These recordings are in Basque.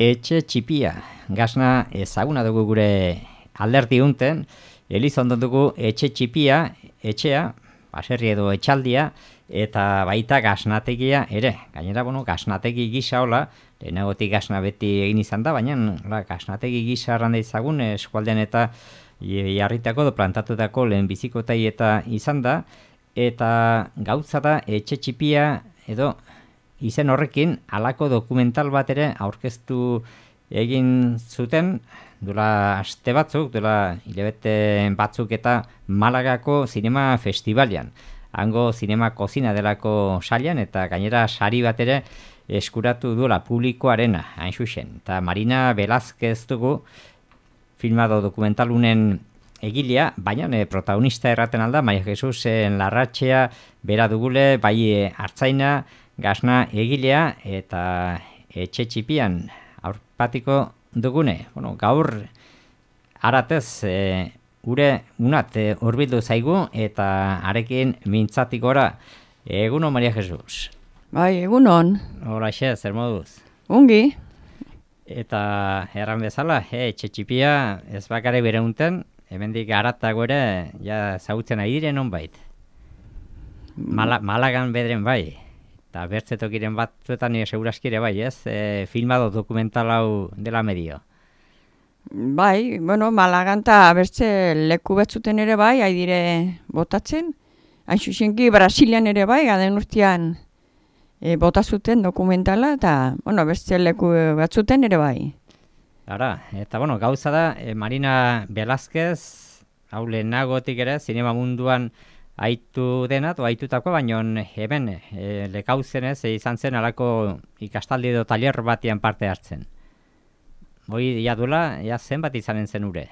Etxe txipia, gazna ezaguna dugu gure alderdi unten, Elizondo dugu etxe txipia, etxea, baserri edo etxaldia, eta baita gaznategia ere. Gainera, gaznategi gisa hola, lehenagotik gazna beti egin izan da, baina gaznategi gisa arranda izagun eskualdean eta jarritako edo plantatutako lehen bizikotai eta izan da, eta gauza da etxe txipia edo izen horrekin halako dokumental bat ere aurkeztu egin zuten duela aste batzuk, duela hilabete batzuk eta Malagako zinema festivalian. Hango zinema kozina delako sailan eta gainera sari bat ere eskuratu duela publikoarena, hain zuzen. Eta Marina Velázquez dugu filmado dokumentalunen egilea, baina protagonista erraten alda, Maria Jesus Larratxea bera dugule, bai hartzaina, gazna egilea eta etxe txipian aurpatiko dugune. Gaur aratez gure unat hurbildu zaigu eta arekin mintzatik gora. Egunon, Maria Jesus. Bai, egunon. Horaxe, zer moduz? Ongi. Eta erran bezala, etxe txipia ez bakare bere unten, hemendik aratago ere, ja zautzen ari diren honbait. Malagan bederen bai. Eta bertzetokiren batzuetan seguraskire bai, ez? Filmado dokumental hau dela medio. Bai, Malagan eta bertze leku betzuten ere bai, haidire botatzen. Hain zuzenki Brasilian ere bai, gaden urtean botazuten dokumentala, eta bertze leku batzuten ere bai. Ara, eta gauza da, Marina Velázquez, hau lehenagotik ere, zinema munduan aitu denat, aitutako, baina hemen lekauzenez izan zen alako ikastaldi edo taller batian parte hartzen. Hoi jadula, zenbat izanen zen ure?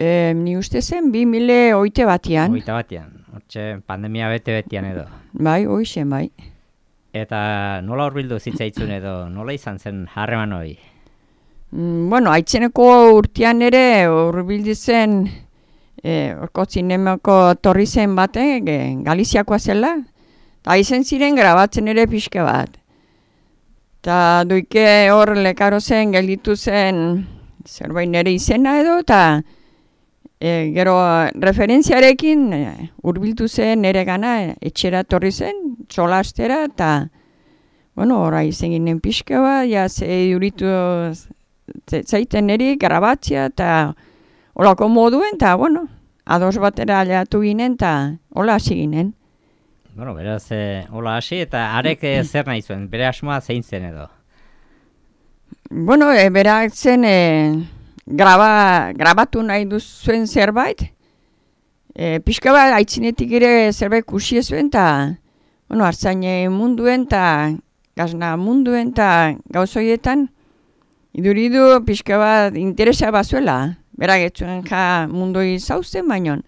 Ni uste zen 2008 batian. 2008 batian, hortxe pandemia bete-betian edo. Bai, hoi zen, bai. Eta nola hurbildu zitzaitzun edo, nola izan zen harreman hoi? Aitzeneko urtean ere hurbildu zen orko zinemako torri zen batek, Galiziakoa zela, eta izen ziren grabatzen ere pixka bat. Eta duike hor lekaro zen, gelditu zen zerbait nire izena edo, eta gero referentziarekin hurbildu zen nire gana etxera torri zen, txola astera, eta hori izen ginen pixka bat, ja ze duritu zaiten niri grabatzea, eta holako moduen, eta ados batera aliatu ginen, eta hola hasi ginen. Beraz, hola hasi, eta arek zer nahi zuen, bere asmoa zein zen edo? Berak zen grabatu nahi duzuen zerbait, pixka bat aitzinetik ere zerbait kusi zuen, eta hartzaine munduen, eta gazna munduen, eta gauzoietan, iduridu pixka bat interesa bazuela. Berak etzuen mundoi zauzen baino.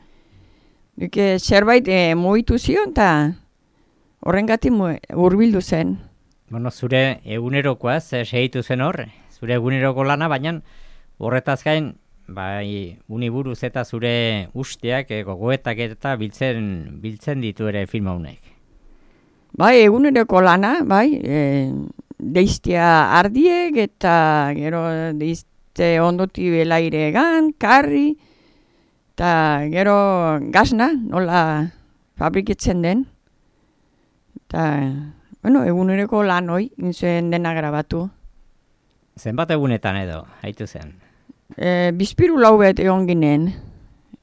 Duke zerbait mugitu zion eta horrengatik hurbildu zen. Zure egunerokoa segitu zen hor, zure eguneroko lana, baina horretaz gain, bai, uniburuz eta zure usteak, gogoetak eta biltzen ditu ere film honek. Bai, eguneroko lana, bai, deiztia ardiek eta gero ondoti belaire egan, karri, eta gero gazna, nola fabriketzen den. Eta, egunereko lan hoi, inzuen dena grabatu. Zenbat egunetan edo, haitu zen? Bizpiru laubet egon ginen,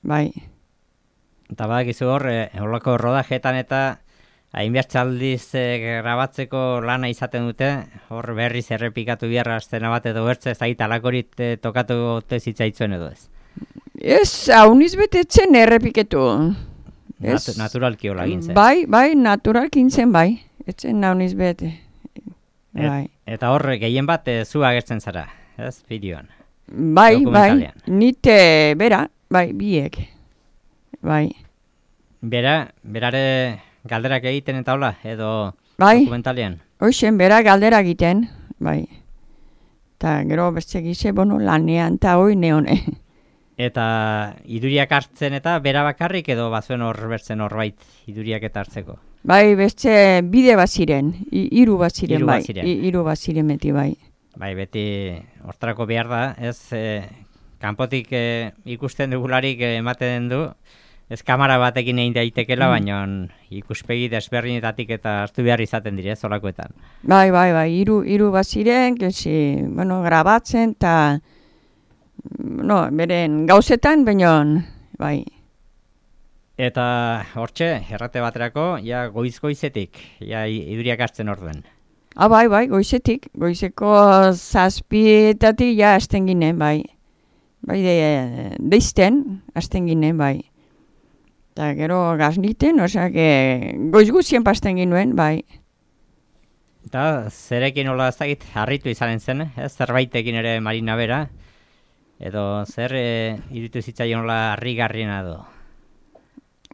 bai. Eta badakizu hor, horlako rodajetan eta hainbertsaldiz grabatzeko lana izaten dute, hor berriz errepikatu biharra aztena bat edo bertze, ez alakorit tokatu zitzaitzuen edo ez? Ez, hauniz betetzen errepiketu. Naturalki hola gintzen. Bai, naturalki gintzen, bai. Etzen hauniz bete. Eta hor, gehien bat zu agertzen zara, ez, bideoan? Bai, nite bera, bai, biek. Bai. Berare galderak egiten eta hola, edo dokumentalian? Hoixen, bera galdera egiten, bai. Eta gero beste gize, lanean eta hoi neone. Eta iduriak hartzen eta bera bakarrik edo bazuen hor bertzen horbait iduriak eta hartzeko? Bai, beste bide bat ziren, hiru bat ziren, bai. Hiru bat ziren beti, bai. Bai, beti hortarako behar da, ez kanpotik ikusten dugularik ematen du, ez kamera batekin egin daitekela, baina ikuspegi desberdinetatik eta hartu behar izaten dire, zolakoetan. Bai, hiru baziren, bueno, grabatzen, eta, no, beren gauzetan, baina, bai. Eta hortxe, errate baterako, ja goiz-goizetik, ja iduriak hartzen orduen. Bai, goizetik, goizeko 7:00 ja hasten ginen, bai. Bai, deizten hasten ginen, bai. Eta gero gazniten, osea, goiz guztien pasten ginuen, bai. Eta zerekin hola ez dakit, harritu izanen zen, ez? Zerbaitekin ere Marina bera, edo zer iruditu zitzaion hola harrigarriena edo?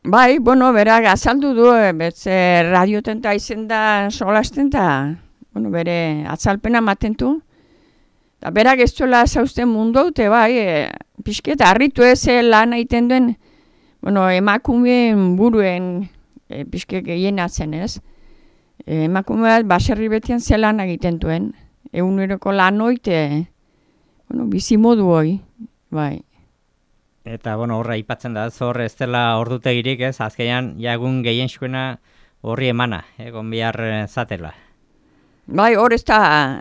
Bai, bueno, berak azaldu du, betze radioten eta izen da solasten eta, bueno, bere atzalpena matentu. Eta berak ez duela zausten mundu haute, bai, pixket harritu ez lan egiten duen, bueno, emakumeen buruen pixket gehienatzen ez. Emakume bat baserri betian zelan egiten duen, eguneroko lan oite, bueno, bizimodu hoi, bai. Eta, bueno, horra aipatzen da, hor ez dela ordutegirik, ez? Azkenean, ja egun gehienxuena horri emana, egon behar zatela. Bai, hor ez da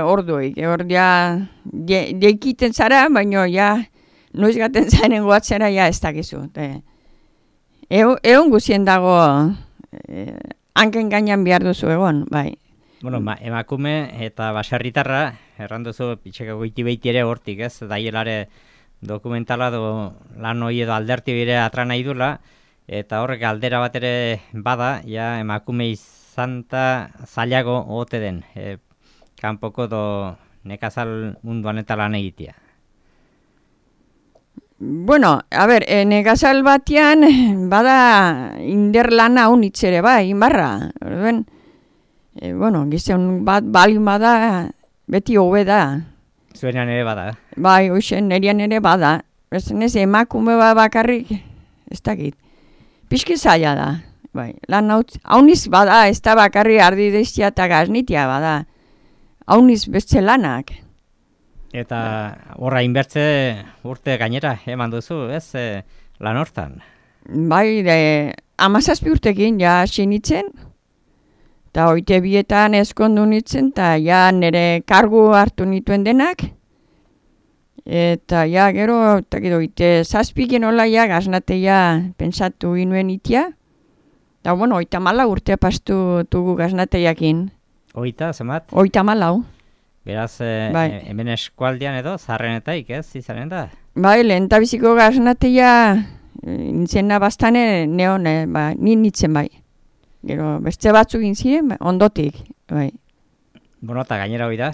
orduik, hor ja deikiten zara, baina ja noiz gaten zaren goatzera ja ez dakizu. Egon guzien dago hanken gainan behar duzu egon, bai. Bueno, emakume eta baserritarra, erranduzu pitxeko goiti behiti ere hortik, ez? Daielare dokumentala lan hori edo alderti bire atra nahi dula, eta horrek aldera bat ere bada, ja emakume izanta zailago ote den, kanpoko nekazal munduan eta lan egitea. Bueno, a ber, nekazal batian bada inder lana honitz ere bai, inbarra. Orduen, bueno, gizon bat balin bada, beti hobe da. Zuenean ere bada. Bai, hoxen, nerian ere bada. Ez emakume bakarrik, ez dakit. Pixki zaila da. Bai, lan hauniz bada, ez da bakarri ardi deiztia eta gaznitia bada. Hauniz beste lanak. Eta horra inbertze urte gainera, eman duzu, ez, lan hortan? Bai, 17 urtekin ja sinitzen. Eta hoite bietan eskondu nitzen, eta ja nire kargu hartu nituen denak. Eta ja gero, eta gero, hoite zazpiken hola ja gaznateia pentsatu ginuen itia. Eta bueno, 34 urte pastu dugu gaznateiakin. Oita, zemat? 34. Beraz, hemen eskualdean edo, zarrenetaik, ez, izanen da? Bai, lehentabiziko gaznateia nintzena bastane neon, nintzen bai. Gero, beste batzuk ziren, ondotik, bai. Bueno, eta gainera hori da,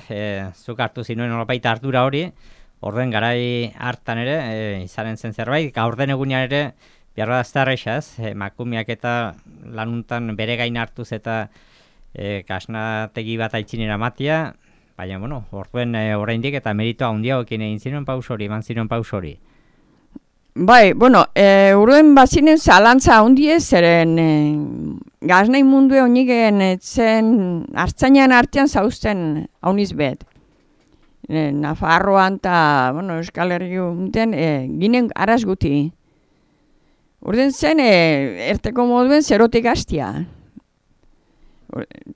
zuk hartu zinuen nolabaita ardura hori, orden garai hartan ere, izanen zen zerbait, gaur den egunean ere, behar da aztarreixa ez, emakumeak eta lanuntan bere gain hartuz eta kasnategi bat aitzinera matia, baina, bueno, orduen oraindik eta meritoa handiagoekin egin ziren paus hori, eman ziren paus hori. Bai, bueno, uruen bazinen zalantza handiez, zeren gaznai mundue honigen zen hartzainan artean zauzten hauniz bet. Nafarroan eta, bueno, Euskal Herri unten, ginen araz guti. Urden zen, erteko moduen zerotik hastia.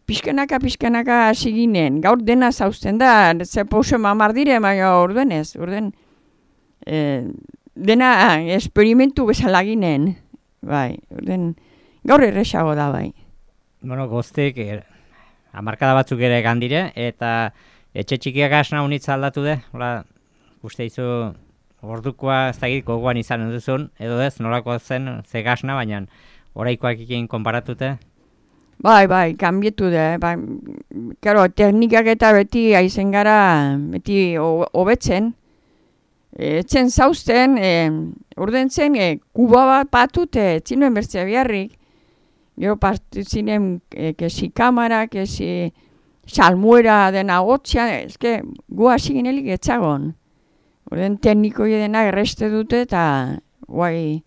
Pixkanaka hasi ginen, gaur dena zauzten da, ze pauso mamar dire, baina orduen ez, dena esperimentu bezala ginen, bai, gaur erresago da, bai. Bueno, goztek, hamarkada batzuk ere gandire, eta etxe txikiak asna unitza aldatu de, hola, uste izu ordukoa ez dakit gogoan izan duzun, edo ez, nolako zen, ze gasna, baina oraikoak ekin konparatute? Bai, kanbietu da, bai, karo, teknikak eta beti aizen gara, beti hobetzen, etzen zauzten, urden zen, kuba bat patut, etzinen bertzea biharrik. Gero partu zinen, kesi kamara, kesi salmuera dena gotxean, ezke, gu hasi ginelik etzagon. Urden teknikoi dena erreste dute eta, guai,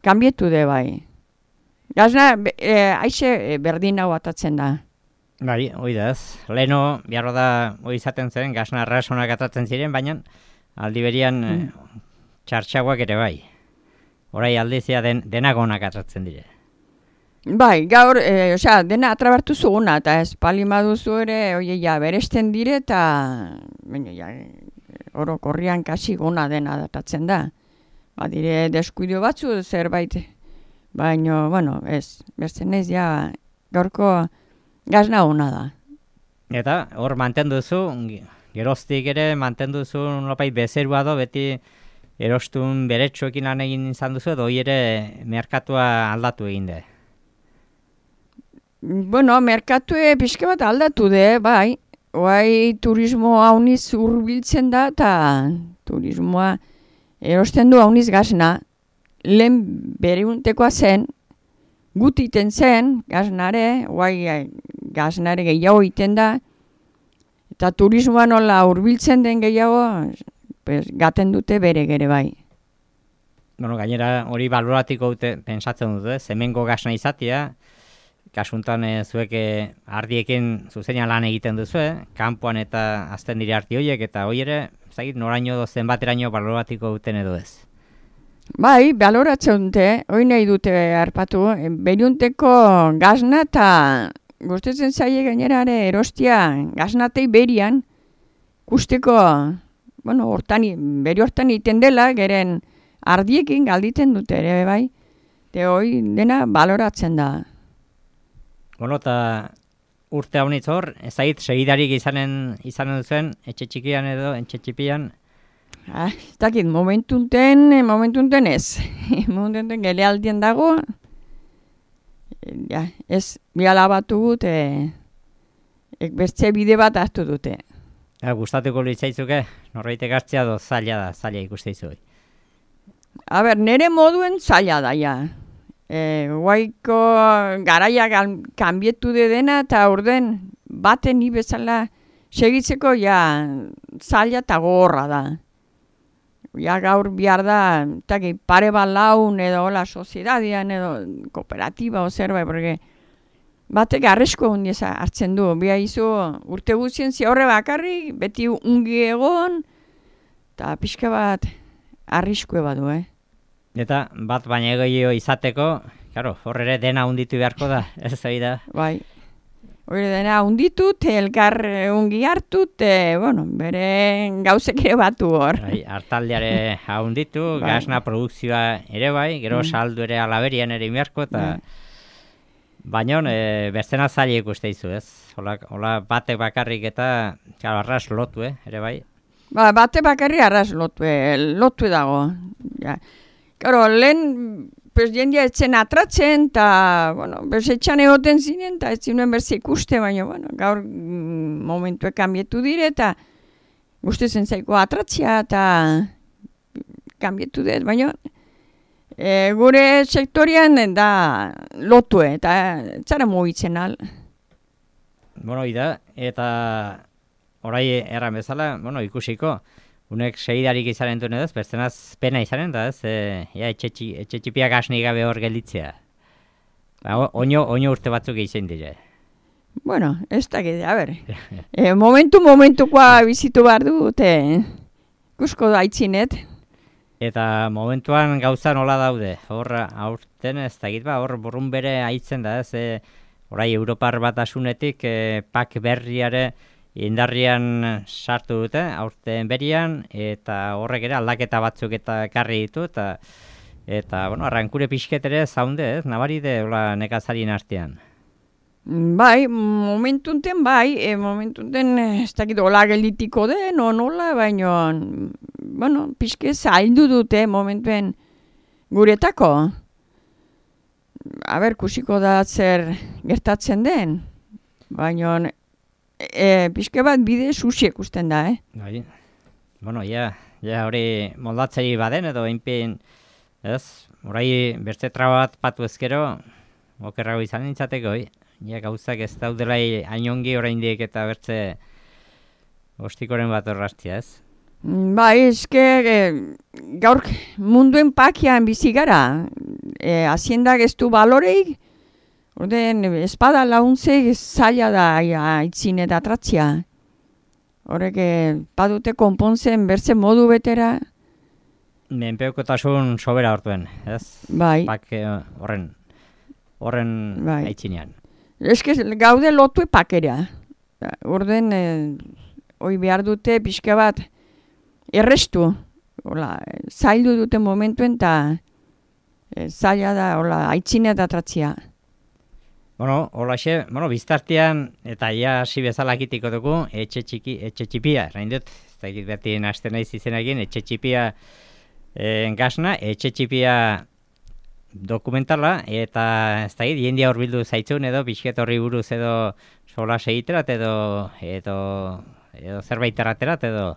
kanbietu de bai. Gazna, aixe berdin hau atatzen da. Bai, hoi da ez. Leno, biharro da, hoi izaten zen, gasna arrasonak atratzen ziren, baina aldi berian txartxagoak ere bai. Horai aldizia denagonak atratzen dire. Bai, gaur, osea, dena atrabertu zuguna, eta ez palimaduzu ere, oie, ja, beresten dire, eta, baina, ja, orokorrian kasi gona dena datatzen da. Badire deskuido batzu zerbait, baina, bueno, ez, bertzen ez, ja, gaurko gasna hona da. Eta hor mantenduzu, geroztik ere mantenduzu nolapait bezerua do, beti erostun beretsuekin lan egin izan duzu, edo hoi ere merkatua aldatu egin de. Bueno, merkatue pixka bat aldatu de, bai. Oai turismo hauniz hurbiltzen da, eta turismoa erosten du hauniz gasna. Lehen bereuntekoa zen, gutiten zen, gasnare, oai gasnare gehiago iten da, eta turismoa nola hurbiltzen den gehiago, pues, gaten dute bere gere bai. Bueno, gainera hori baloratiko dute pensatzen dute, hemengo gasna izatea, kasuntan zuek ardiekin zuzenean lan egiten duzu, kanpoan eta azten dire arti horiek, eta hoi ere, zagit, noraino zenbateraino baloratiko duten edo ez. Bai, baloratzen dute, hori nahi dute harpatu, beriunteko gasna eta gustatzen zaie gainerare erostia gasnatei berian, kusteko, bueno, beri hortan iten dela, geren ardiekin galditen dute ere, bai, eta hori dena baloratzen da. Bueno, eta urte haunitz hor, ezagit segidarik izanen duzuen, etxe txikian edo, etxe txipian? Ez dakit, momentunten ez. Momentunten gelealdien dago, ja, ez biala batu gut, bertze bide bat hartu dute. Gustatuko litzaizuke, norbaitek hartzea do zaila ikusteizu. A ber, nere moduen zaila da, ja. Guaiko garaia kanbietu de dena, eta orden baten ni bezala segitzeko ja zaila eta gogorra da. Ja gaur bihar da, eta pare bat laun edo hola soziedadian edo kooperatiba o zerbait, porque batek arresko hundiesa hartzen du. Bia izu urte guztien horre bakarrik, beti ungi egon, eta pixka bat arriskue badu, Eta bat baina gehiago izateko, claro, hor ere dena hunditu beharko da, ez zoi da? Bai, hori dena hunditut, elkar ungi hartut, bueno, bere gauzek ere batu hor. Bai, hartaldeare hunditu, Bai. gasna produkzioa ere bai, gero saldu ere alaberian ere beharko, eta baina bestena zaila ikusteizu, ez? Hola batek bakarrik eta, claro, arras lotu, ere bai? Ba, bate bakarri arras lotu dago. Ja. Karo, lehen, pues, jendia etzen atratzen, eta, bueno, etxan egoten zinen, eta ez zinuen berze ikuste, baina, bueno, gaur momentuek kanbietu dire, eta gustezen zaiko atratzia, eta kanbietu dut, baina gure sektorian da lotu, eta zara mugitzen al. Bueno, ida, eta orai erran bezala, bueno, ikusiko, unek segidarik izanen duen edo, berzenaz pena izanen da, ez? Etxe txipiak asni gabe hor gelditzea. Oino urte batzuk egin dire. Bueno, ez da gede, a ber. Momentukoa bizitu behar dute, kusko da aitzinet. Eta momentuan gauza nola daude, hor aurten ez da ba, hor burrun bere aitzen da, ez? Orai Europar Batasunetik pak berriare indarrian sartu dute, aurten berian, eta horrek ere aldaketa batzuk eta ekarri ditu, eta bueno, arrankure pixket ere zaunde, ez? Nabari de hola nekazarien artean. Bai, momentunten ez dakit hola gelditiko den, nola, baina, bueno, pixke zaildu dute momentuen guretako. A ber, kusiko da zer gertatzen den, baina pixke bat bide susi ikusten da, Bai, bueno, ja hori moldatzei baden edo inpin, ez? Horai beste traba bat patu ezkero, okerrago izan nintzateko, ja gauzak ez daudelai ainongi oraindik eta bertze ostikoren bat horraztia, ez? Bai, eske gaur munduen pakian bizi gara, haziendak ez du baloreik, Orden, espada launtze zaila da aitzin eta atratzia. Horrek badute konpontzen berze modu betera. Menpekotasun sobera hortuen, ez? Bai. Horren Bai. aitzinean. Eske gaude lotu pakera. Orden, hoi behar dute pixka bat errestu. Hola, zaildu dute momentuen eta zaila da, hola, aitzine eta atratzia. Bueno, holaxe, biztartean, eta ja hasi bezala kitiko dugu, etxe txipia, erain dut, ez da beti nahasten naiz izenekin, etxe txipia gasna, etxe txipia dokumentala, eta ez da jendia horbildu zaitzun edo, pixket horri buruz edo sola segiterat edo zerbait erraterat edo.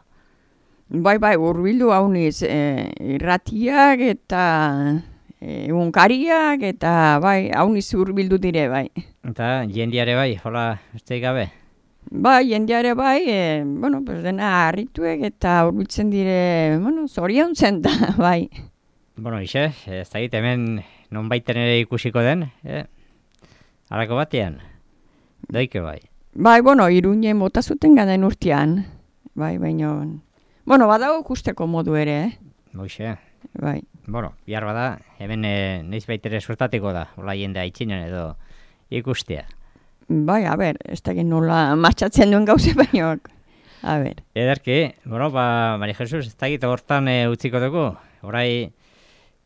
Bai, hurbildu hauniz, irratiak eta egunkariak eta bai, hauniz hurbildu dire, bai. Eta jendiare bai, hola, ez gabe? Bai, jendiare bai, dena harrituek eta hurbiltzen dire, zoriontzen da, bai. Ixe, ez da hemen nonbaiten ere ikusiko den, halako batean, daike bai. Bai, Iruñen bota zuten gaden urtean, bai, baina, badago ikusteko modu ere, Hoxe. Bai. Bihar bada, hemen neiz baitere suertatiko da, hola jende aitzinen edo ikustea. Bai, ez da nola martxatzen duen gauze baino, Ederki, Mari Jesus, ez da hortan utziko dugu, orai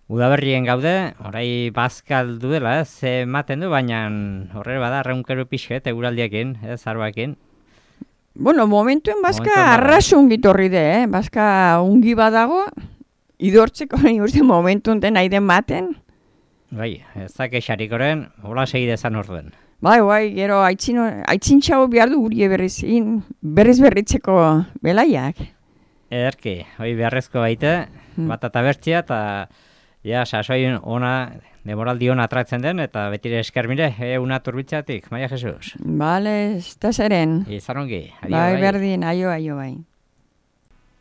udaberrien gaude, orai bazkal duela, ez ematen du, baina horre bada, reunkero pixket, eguraldiekin, arbaekin. Momentuen bazka arrasun gitorri de, bazka ungi badago, idortzeko uste momentun den nahi den maten. Bai, ez da kexarikoren, hola segidezan orduen. Bai, gero aitzintxago behar du gurie berriz berritzeko belaiak. Ederki, hoi beharrezko baite, bat eta bertzia, eta sasoin ona, demoraldi ona atratzen den, eta betire eskermire, una turbitzatik, Maria Jesus. Bale, ez da zeren. Izan ongi, Bai, berdin, aio, bai.